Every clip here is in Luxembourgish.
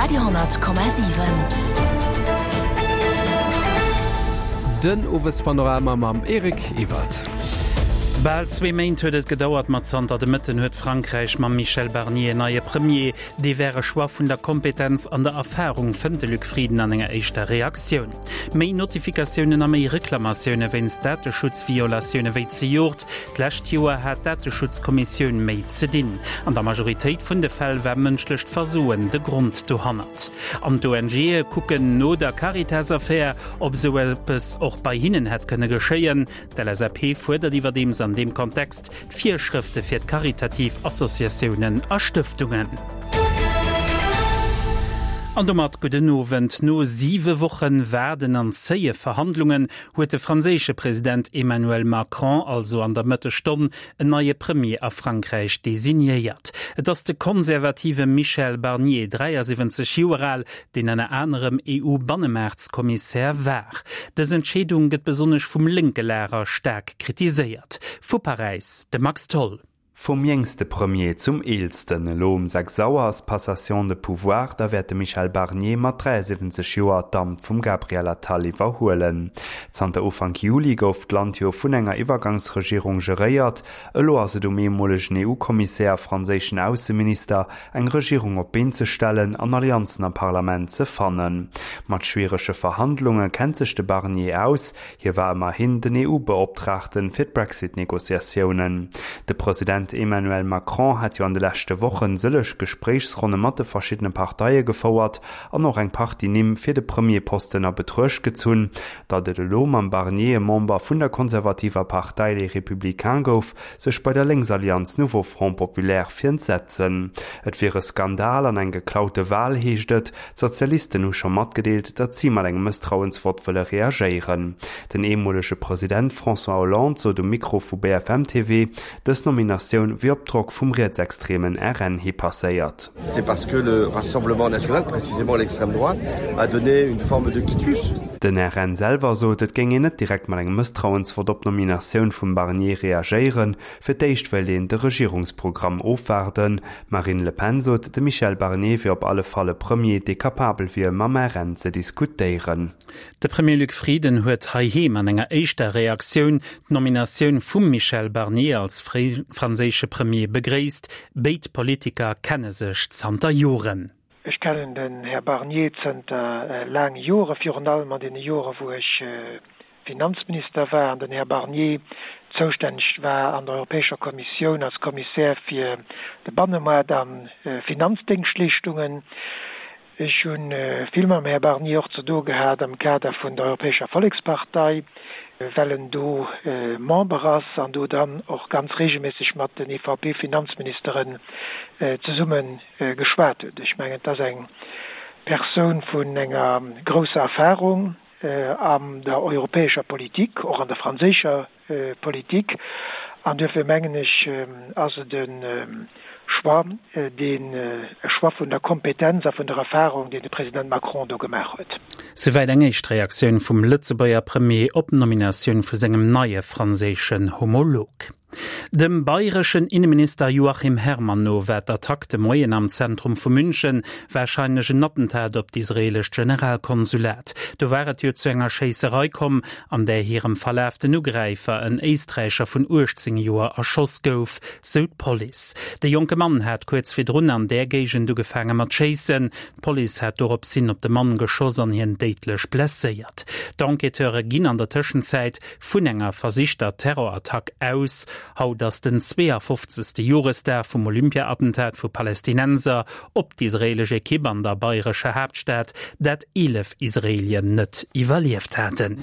Radio 10,7. Den Owespanorama mam Eric Ewald. Bal zwee Méint huet et gedauert, ma zanter de Mëtten huet Frankräich mam Michel Barnier en neie Premier. Dee wär e Choix vun der Kompetenz an der Erfarung, fënnt de Luc Frieden an enger éischter Reaktioun. Méi Notifikatiounen a méi Reklamatioune wéinst Dateschutzviolatioune wéi zejoert. D'lescht Joer hat d'Dateschutzkommissioun méi ze dinn. An der Majoritéit vun de Fäll war mënschlecht Versoen de Grond dohannert. An d'ONGe kucken no der Caritas-Affär, ob esou eppes och bei hinnen hätt kënne geschéien. D'LSAP fuerdert iwwerdeems an deem Kontext Virschrëfte fir d'karitativ Associatiounen a Stëftungen. An domat gudden Owend. No siwe Wochen Waarden an zéie Verhandlungen huet de franséische President Emmanuel Macron also an der Mëttesstonn en neie Premier a Frankräich designéiert. Et ass de konservative Michel Barnier, 73 Joer al, deen ënner anerem EU-Bannemaartskommissär war. Dës Entscheedung gëtt besonnesch vum lénke Lager staark kritiséiert. Vu Paräis de Max Tholl. Vum jéngste Premier zum eelsten. Elo um 6 Auer ass d'Passation de pouvoir, da wäert de Michel Barnier mat 73 Joer d'Amt vum Gabriel Attal iwwerhuelen. Zanter Ufank Juli gouf d'Land jo vun enger Iwwergangsregierung geréiert. Elo ass et um ehemolegen EU-Kommissär a franséischen Ausseminister, eng Regierung op d'Been ze stellen an Allianzen am Parlament ze fannen. Mat schwierege Verhandlunge kennt sech de Barnier aus, Hie war ëmmerhin den EU-Beoptraagten fir d'Brexit-Negociatiounen. De President Emmanuel Macron hat jo an de leschte Wochen sëlleg Gespréichsronne mat de verschiddene Parteie gefouert an och eng Partie Nimm fir de Premierposten a Betruecht gezunn. Datt et elo mam Barnier e Member vun der konservativer Partei Les Républicains gouf, sech bei der Lénksallianz Nouveau Front Populaire fir entsetzen. Et wier e Skandal an eng geklaute Wal, heescht et. D'Sozialisten hu scho matgedeelt, datt si mat engem Mësstrauensvott wëlle reagéieren. Den ehemolege President François Hollande sot um Mikro vu BFM TV, dës Nominatioun wier op Drock vum rietsextremen RN hi passéiert. C'est parce que le Rassemblement national, précisément l'extrême droite, a donné une forme de quitus. Den RN selwer sot, et géing een net direkt mat engem Mësstrauensvott op d'Nominatioun vum Barnier reagéieren. Fir d'éischt wéilt een de Regierungsprogramm ofwaarden. D'Marine Le Pen sot, de Michel Barnier wier op alle Fall e Premier, dee capabel wier, mam RN ze diskutéieren. De Premier Luc Frieden huet heiheem an enger éischter Reaktioun d'Nominatioun vum Michel Barnier als franséische Premier begréisst. Béid Politiker kenne sech zanter Joren. Ech kennen den Här Barnier zënter laange Jore, virun allem an deene Jore wou ech Finanzminister war an den Här Barnier zoustänneg war an der Europäescher Kommissioun als Kommissär fir de Bannemoart a Finanzdéngschtleeschtungen. Ech hu vill mam Här Barnier och ze doe gehat am Kader vun der Europäescher Vollekspartei, well en do Member ass an do dann och ganz regelméisseg mat den EVP-Finanzministeren zesumme geschwat huet. Ech mengen, et ass eng Persoun vun enger grousser Erfahrung. an der europäescher Politik, och an der franséischer Politik. An duerfir mengen ech, ass et e Choix, deen, e Choix vun der Kompetenz a vun der Erfahrung, deen de President Macron do gemaach huet. Souwäit eng éischt Reaktioun vum Lëtzebuerger Premier op d'Nominatioun vu sengem neie franséischen Homolog. Dem bayreschen Inneminister Joachim Herrmann no war d'Attack de Moien am Zentrum vu München warscheinlech en Attentat op d'israeelescht Generalkonsulat. Do war et jo zu enger Schéisserei komm, an där hirem Verlaf den Ugräifer, en Éisträicher vun 18 Joer, erschoss gouf, sou d'Police. De jonke Mann hat kuerz virdrun an där Géigend ugefaange mat schéissen. D'Police hat dorops hin op de Mann geschoss an hien déidlech blesséiert. D'Enquêteure ginn an der Tëschenzäit Vun enger versichter Terrorattack aus. Haut ass den 52. Joresdag vum Olympia-Attentat vu Palästinenser op d'israeelesch Ekipp an der bayrescher Haaptstad, dat 11 Israeelien net iwwerlieft haten.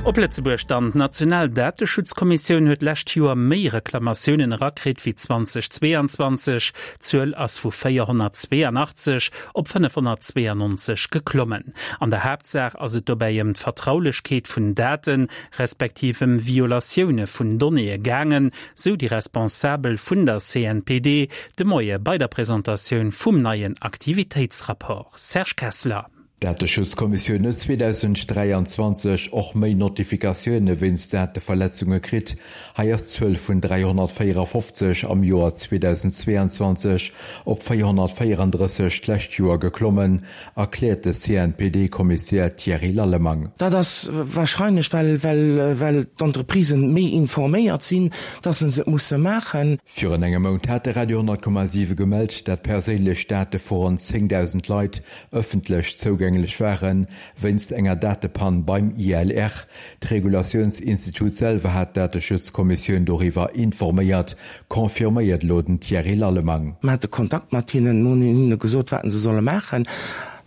Op Lëtzebuerg dann, D'national Dateschutzkommissioun huet d'lescht Joer méi Reklamatiounen erakritt wéi 2022. D'Zuel ass vu 482 op 592 geklommen. An der Haaptsaach ass et dobäi ëm d'Vertraulechkeet vun Daten, respektiv ëm Violatioune vun Donnéeë gaangen, sou déi Responsabel vun der CNPD de Moie bei der Presentatioun vum neien Aktivitéitsrapport. Serge Kessler. D'Dateschutzkommissioun huet 2023 och méi Notifikatioune wéinst Dateverletzunge kritt. Hei ass d'Zuel vun 354 am Joer 2022 op 434 d'lescht Joer geklommen, erkläert de CNPD-Kommissär Thierry Lallemang. Dat ass warscheinlech, well d'Entreprisen méi informéiert sinn, dass se et musse maachen. Virun engem Mount hat de Radio 10,7 gemellt, dat perséinlech Date vu ronn 10.000 Leit ëffentlech zougänglech waren, wéinst enger Datepann beim ILR. D'Regulatiounsinstitut selwer hat d'Dateschutzkommissioun doriwwer informéiert, confirméiert elo den Thierry Lallemang. Mer hate Kontakt mat hinnen, mer hunn hinne gesot, wat se solle maachen.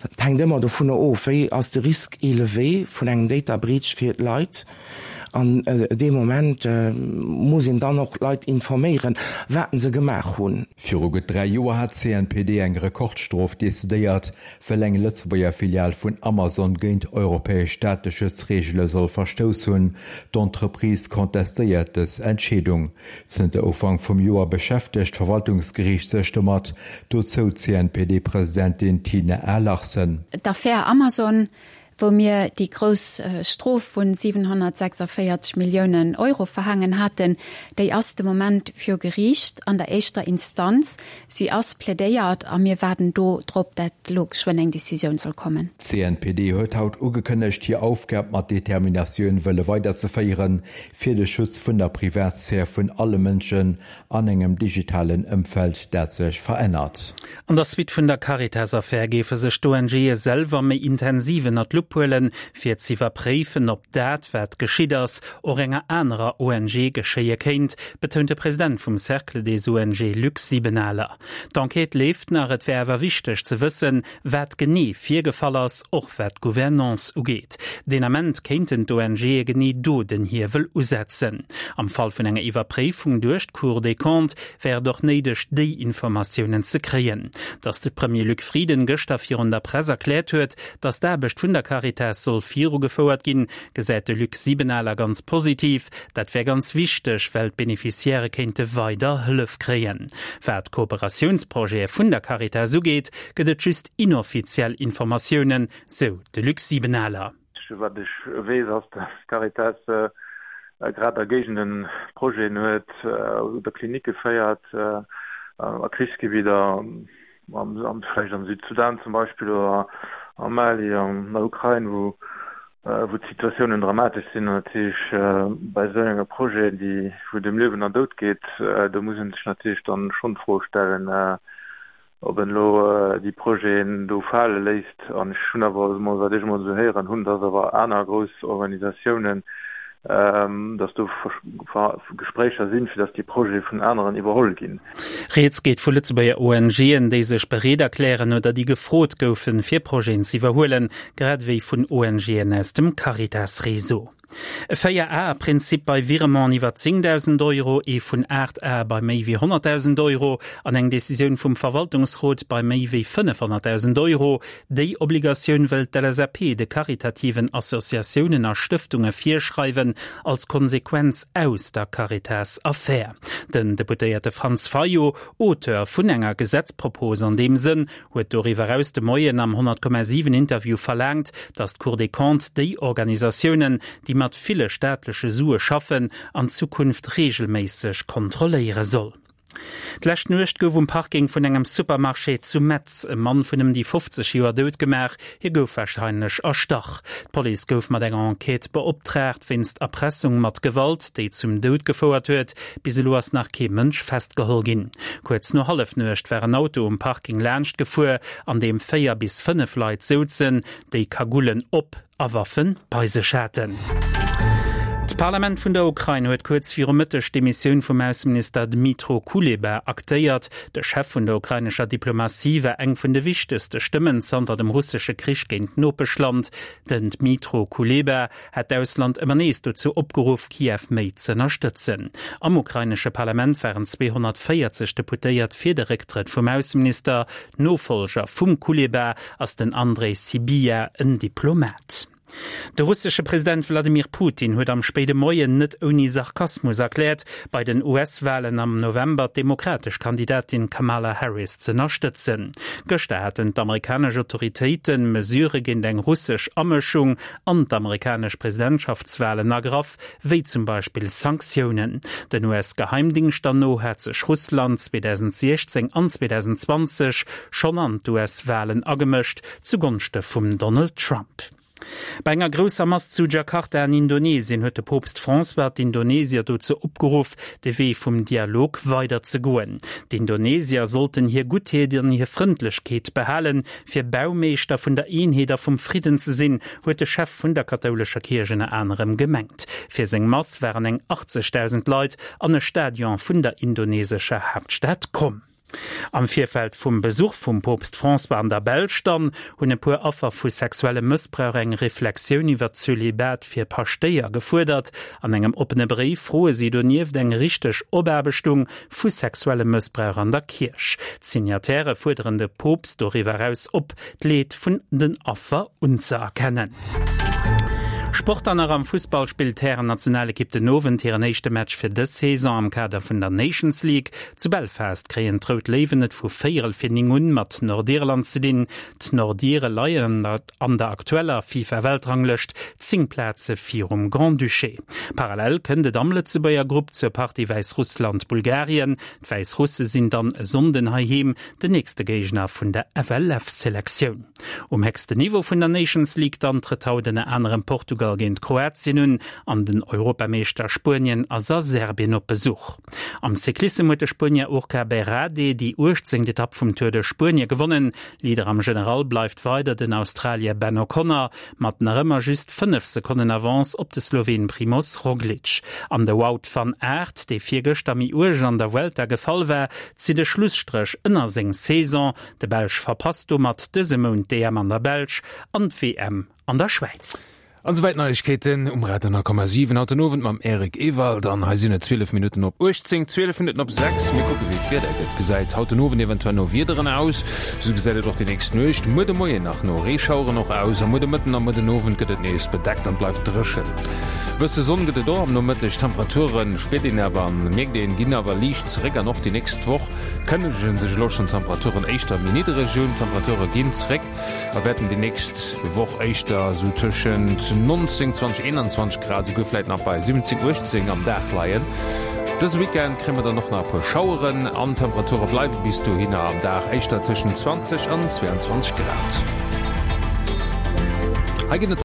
Dat hänkt ëmmer dovunner of, wéi ass de Risque élevé vun engem Data Breach fir d'Leit. An dee Moment muss een dann och d'Leit informéieren, wat se gemaach hunn. Viru gutt 3 Joer hat d'CNPD eng Rekordstrof decidéiert, well eng Lëtzebuerger Filial vun Amazon géint europäesch Dateschutzreegele soll verstouss hunn. D'Entreprise contestéiert dës Entscheedung. Zënter Ufank vum Joer beschäftegt d'Verwaltungsgeriicht sech domat, dozou d'CNPD-Presidentin Tine A. Larsen. D'Affär Amazon wou mir déi grouss Strof vu 746 Milliounen Euro verhaangen haten, déi ass de Moment viru Geriicht an der éischter Instanz. Si ass plädéiert a mir waarden do drop, dat elo geschwënn eng Décisioun soll kommen. D'CNPD huet haut ugekënnegt, hir Aufgab mat Determinatioun wëlle weiderzeféieren, fir de Schutz vun der Privatsphär vun alle Mënschen an engem digitalen Ëmfeld, dat sech verännert. An der Suite vun der Caritas-Affär géife sech d'ONGe selwer méi intensiv ënner d'Lupp huelen, fir z'iwwerpréifen, ob dat, wat geschitt ass, och enger anerer ONG geschéie kéint, betount de President vum Cercle des ONG Luc Sibenaler. D'Enquête leeft nach, et wär awer wichteg ze wëssen, Wat genee virgefall ass, och wat d'Gouvernance ugeet. Deen Ament kéinten d'ONGe genee do den Hiewel usetzen. Am Fall vun enger Iwwerpréifung duerch d'Cour des Comptes wär et och néideg, déi Informatiounen ze kréien. Datt de Premier Luc Frieden gëschter virun der Press erkläert huet, datt d'Aarbecht vun der Caritas soll virugefouert ginn, gesäit de Luc Sibenaler ganz positiv. Dat wär ganz wichteg, well d'Beneficiairë kéinte weider Hëllef kréien. Wat d'Kooperatiounsprojete vun der Caritas ugeet, gëtt et just inoffiziell Informatiounen, sou de Luc Sibenaler. Wat ech weess, ass, datt d'Caritas grad a Géigenden Projeten huet oder Klinicke féiert a Krichsgebidder, vläicht am Südsudan zum Beispill oder am Mali, an der Ukrain, wou d'Situatiounen dramatesch sinn. An natierlech bei esou enge Projeten, déi wou et ëm Liewen an Doud geet, do muss ee sech natierlech dann schonn d'Fro stellen, ob en elo déi Projeten do fale léisst. An ech hunn awer emol, wat ech emol esou héieren hunn, dass awer aner grouss Organisatiounen, dass do Gespréicher sinn, fir dass déi Projete vun aneren iwwerholl ginn. Rieds geet vu Lëtzebuerger ONGen, déi sech bereet erklären oder déi gefrot goufen, fir Projeten ze iwwerhuelen, grad ewéi vun ONGen aus dem Caritas-Réseau. E Véier-Ae-Prinzip bei Virementen iwwer 10.000 Euro, ee vun 8 Ae bei méi wéi 100.000 Euro an eng Decisioun vum Verwaltungsrot bei méi wéi 500.000 Euro. Déi Obligatioun wëll d'LSAP de karitativen Associatiounen a Stëftunge virschreiwen, als Konsequenz aus der Caritas-Affär. Den Deputéierte Franz Fayot, Auteur vun enger Gesetzpropos an deem Sënn, huet doriwwer eraus de Moien am 100,7 Interview verlaangt, datt d'Cour des Comptes déi Organisatiounen, déi mat ville staatleche Sue schaffen, an Zukunft reegelméisseg kontrolléiere soll. D'lescht Nuecht gouf um Parking vun engem Supermarché zu Metz e Mann vun ëm déi 50 Joer dout gemaach. Hie gouf warscheinlech erstach. D'Police gouf mat enger Enquête beoptraagt wéinst Erpressung mat Gewalt, déi zum Doud gefouert huet. Bis elo ass nach kee Mënsch festgeholl ginn. Kuerz no Hallefnuecht war en Auto um Parking laanscht gefuer, an deem 4 bis 5 Leit souzen, déi Kagullen op a Waffe bei sech haten. D'Parlament vun der Ukrain huet kuerz viru Mëtteg d'Demissioun vum Ausseminister Dmytro Kuleba aktéiert. De Chef vun der ukrainescher Diplomatie war eng vun de wichtegste Stëmmen zanter dem russesche Krich géint d'Nopeschland. Den Dmytro Kuleba hat d'Ausland ëmmer nees dozou opgeruff, Kiew méi z'ënnerstëtzen. Am ukrainesche Parlament waren 240 Deputéiert fir de Récktrëtt vum Ausseminister. Nofollger vum Kuleba ass den Andrej Sybiha, en Diplomat. De russesche President Wladimir Putin huet am spéide Moien net ouni Sarkasmus erkläert, bei den US-Walen am November d'demokratesch Kandidatin Kamala Harris z'ënnerstëtzen. Gëschter haten d'amerikanesch Autoritéite Mesurë géint eng russesch Amëschung an d'amerikanesch Presidentschaftswalen ergraff, wéi zum Beispill Sanktiounen. Den US-Geheimdingschter no hat sech Russland 2016 an 2020 schonn an d'US-Walen agemëscht, zu Gonschte vum Donald Trump. Bei enger grousser Mass zu Jakarta an Indonesien huet de Poopst François d'Indonesier dozou opgeruff, de Wee vum Dialog weider ze goen. D'Indonesier sollten hir Guttheet an hir Frëndlechkeet behalen, fir Baumeeschter vun der Eenheet a vum Fridden ze sinn, huet de Chef vun der kathoulescher Kierch ënner anerem gemengt. Fir seng Mass waren eng 80.000 Leit an e Stadion vun der indonesescher Haaptstad komm. Am Virfeld vum Besuch vum Poopst François an der Belsch dann, hunn e puer Affer vu sexuellem Mëssbrauch eng Reflexioun iwwer d'Zölibat fir Paschtéier gefuerdert. An engem oppene Bréif froe si donieft eng richteg Opaarbechtung vu sexuellem Mëssbrauch an der Kierch. D'Signatairë fuerderen de Poopst doriwwer eraus op, d'Leed vun den Affer unzëerkennen. Sport An nach am Fussball spillt d'Hären-Nationalekipp den Owend hiren éischte Match fir dës Saison am Kader vun der Nations League. Zu Belfast kréien d'Rout Léiwen et vu véierel fir 9 un mat Nordirland ze dinn. D'Nordire leien an der aktueller FIFA-Weltranglëscht 10 Plaze virum Grand-Duché. Parallel kënnt et am Lëtzebuerger Grupp zur Partie Wäissrussland-Bulgarien. D'Wäissrusse sinn dann e Sonnden heiheem den nächste Géigner vun der FLF-Selektioun. Um héchsten Niveau vun der Nations League dann trëtt haut ënner anerem Portugal géint Kroatien un an den Europameeschter Spuenien ass a Serbien op Besuch. Am Cyclissem huet de Spuenier Urka Berrade déi 18. Etapp vum Tour de Spuenie gewonnen. Leader am General bleift weider den Australier Ben O'Connor mat nach ëmmer just 5 Sekonnen Avance op de Sloween Primoz Roglic. An de Wout van Aert, dee virgëschter méi uerg an der Vuelta gefall war, zitt e Schlusstréch ënner seng Saison. De Belsch verpasst domat dëse Mount d'EM an der Belsch an d'WM an der Schwäiz. An esouwäit d'Neiegkeeten um Radio 10,7 haut den Owend mam Eric Ewald. An hei sinn et 12 Minutten op 18, 12 Minutten op 6. Mir kucke wéi d'Wieder gëtt. Gesäit haut den Owend eventuell no Wiederen aus. Esou gesäit et och déi nächst Nuecht, muer de Moien nach no Reeschaueren och aus. A muer de Mëtten a muer den Owend gëtt et nees bedeckt an bleift dréchen. E bësse Sonn gëtt et och am Nomëtteg. D'Temperature spiert een awer an mierkt een, ginn awer liicht zeréck an och déi nächst Woch kënnegen sech elo schonn d'Temperaturen éischter méi niddereg un. D'Temperature ginn zeréck. A wäerten déi nächst Woch éischter esou tëschent 19, 20, 21 Grad, esouguer vläit nach bei 17, 18 am Dag leien. Dëse Weekend kréie mer dann och nach e puer Schaueren an d'Temperature bleiwe bis dohinner am Dag éischter tëschent 20 an 22 Grad. Hei ginn et.